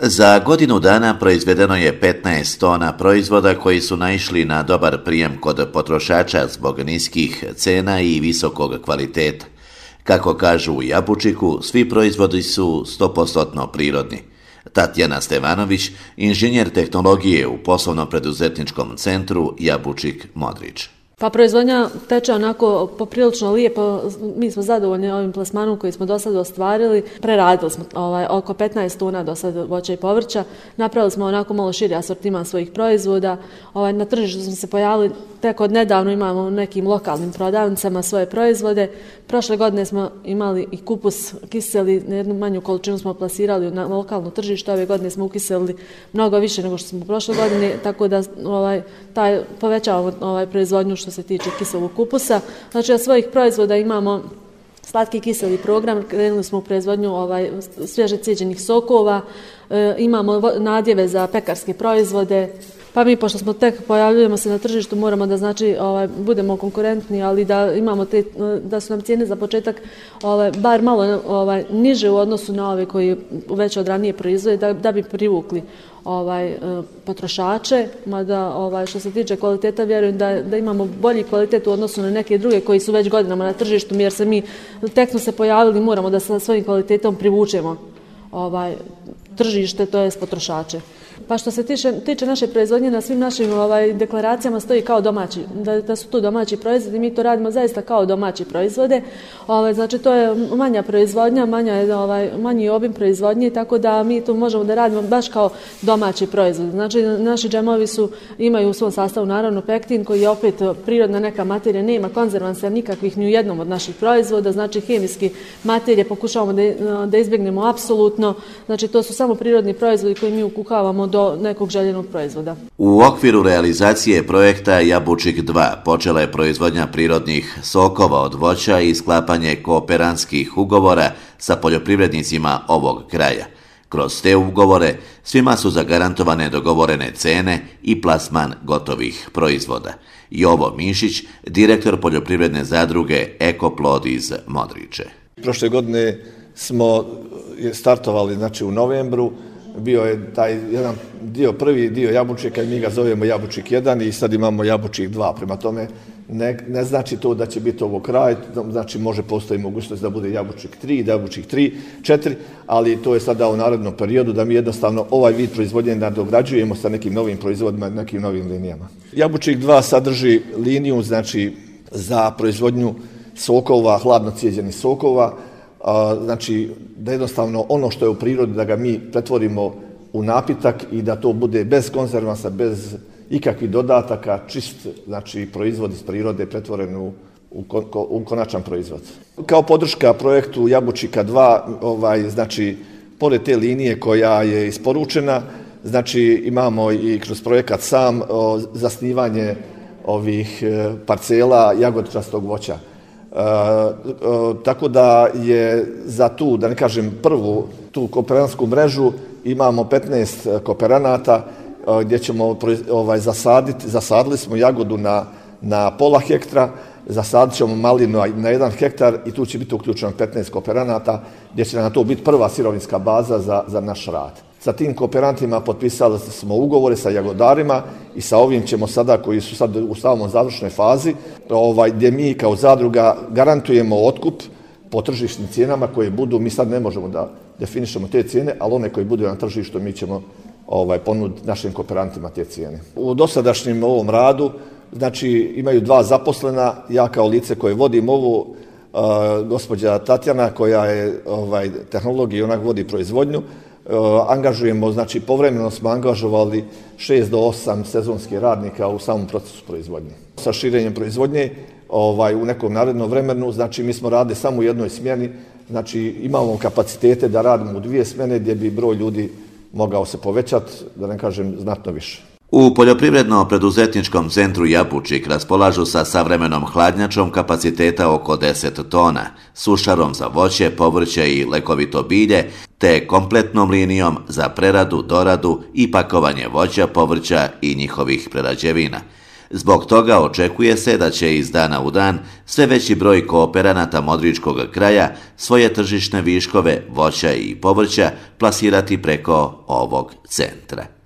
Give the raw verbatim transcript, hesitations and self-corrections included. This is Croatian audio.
Za godinu dana proizvedeno je petnaest tona proizvoda koji su naišli na dobar prijem kod potrošača zbog niskih cena i visokog kvaliteta. Kako kažu u Jabučiku, svi proizvodi su sto posto prirodni. Tatjana Stevanović, inženjer tehnologije u poslovno-preduzetničkom centru Jabučik Modrić. Pa proizvodnja teče onako poprilično lijepo, mi smo zadovoljni ovim plasmanom koji smo do sada ostvarili. Preradili smo ovaj, oko petnaest tona do sada voća i povrća, napravili smo onako malo širi asortiman svojih proizvoda. Ovaj, na tržištu smo se pojavili tek od nedavno, imamo u nekim lokalnim prodavnicama svoje proizvode. Prošle godine smo imali i kupus kiseli, na jednu manju količinu smo plasirali na lokalno tržište, ove godine smo ukiselili mnogo više nego što smo prošle godine, tako da ovaj, taj, povećavamo ovaj, proizvodnju što se tiče kiselog kupusa. Znači, od svojih proizvoda imamo slatki kiseli program, krenuli smo u proizvodnju ovaj, svježe cijeđenih sokova, e, imamo nadjeve za pekarske proizvode. Pa mi, pošto smo tek pojavljujemo se na tržištu, moramo da znači ovaj, budemo konkurentni, ali da imamo te, da su nam cijene za početak ovaj, bar malo ovaj, niže u odnosu na ove koji već od ranije proizvode, da, da bi privukli ovaj, potrošače. Mada ovaj, što se tiče kvaliteta, vjerujem da, da imamo bolji kvalitet u odnosu na neke druge koji su već godinama na tržištu, jer se mi tek smo se pojavili, moramo da sa svojim kvalitetom privučemo ovaj, tržište, to je potrošače. Pa što se tiče, tiče naše proizvodnje, na svim našim ovaj, deklaracijama stoji kao domaći, da, da su to domaći proizvodi, mi to radimo zaista kao domaći proizvode. Ovaj, znači to je manja proizvodnja, manja je, ovaj, manji obim proizvodnje, tako da mi to možemo da radimo baš kao domaći proizvod. Znači naši džemovi su, imaju u svom sastavu naravno pektin koji je opet prirodna neka materija, nema konzervansa nikakvih ni u jednom od naših proizvoda, znači hemijski materije pokušavamo da, da izbjegnemo apsolutno, znači to su samo prirodni proizvodi koji mi ukuhavamo do nekog željenog proizvoda. U okviru realizacije projekta Jabučik dva počela je proizvodnja prirodnih sokova od voća i sklapanje kooperantskih ugovora sa poljoprivrednicima ovog kraja. Kroz te ugovore svima su zagarantovane dogovorene cene i plasman gotovih proizvoda. Jovo Mišić, direktor poljoprivredne zadruge Ekoplod iz Modriče. Prošle godine smo startovali znači, u novembru. Bio je taj jedan dio, prvi dio Jabučika i mi ga zovemo Jabučik jedan i sad imamo Jabučik dva. Prema tome ne, ne znači to da će biti ovo kraj, znači može postoji mogućnost da bude Jabučik tri, Jabučik tri, četiri, ali to je sada u narednom periodu da mi jednostavno ovaj vid proizvodnje nadograđujemo sa nekim novim proizvodima, nekim novim linijama. Jabučik dva sadrži liniju znači za proizvodnju sokova, hladno cijeđenih sokova, A, znači da jednostavno ono što je u prirodi da ga mi pretvorimo u napitak i da to bude bez konzervansa, bez ikakvih dodataka, čist znači proizvod iz prirode pretvoren u, u, u konačan proizvod. Kao podrška projektu Jabučika dva, ovaj, znači pored te linije koja je isporučena, znači imamo i kroz projekat sam o, zasnivanje ovih e, parcela jagodičastog voća. E, e, tako da je za tu, da ne kažem prvu, tu kooperantsku mrežu imamo petnaest kooperanata e, gdje ćemo ovaj, zasaditi, zasadili smo jagodu na, na pola hektara, zasadit ćemo malinu na jedan hektar i tu će biti uključeno petnaest kooperanata gdje će na to biti prva sirovinska baza za, za naš rad. Sa tim kooperantima potpisali smo ugovore sa jagodarima i sa ovim ćemo sada, koji su sad u samom završnoj fazi, ovaj, gdje mi kao zadruga garantujemo otkup po tržišnim cijenama koje budu, mi sad ne možemo da definišemo te cijene, ali one koje budu na tržištu mi ćemo ovaj, ponuditi našim kooperantima te cijene. U dosadašnjem ovom radu, znači imaju dva zaposlena, ja kao lice koje vodim ovu, uh, gospođa Tatjana koja je ovaj, tehnolog i ona vodi proizvodnju, Uh, angažujemo, znači povremeno smo angažovali šest do osam sezonskih radnika u samom procesu proizvodnje. Sa širenjem proizvodnje ovaj, u nekom narednom vremenu, znači mi smo radili samo u jednoj smjeni, znači imamo kapacitete da radimo u dvije smjene gdje bi broj ljudi mogao se povećati, da ne kažem znatno više. U poljoprivredno-preduzetničkom centru Jabučik raspolažu sa savremenom hladnjačom kapaciteta oko deset tona, sušarom za voće, povrće i lekovito bilje, te kompletnom linijom za preradu, doradu i pakovanje voća, povrća i njihovih prerađevina. Zbog toga očekuje se da će iz dana u dan sve veći broj kooperanata Modričkog kraja svoje tržišne viškove voća i povrća plasirati preko ovog centra.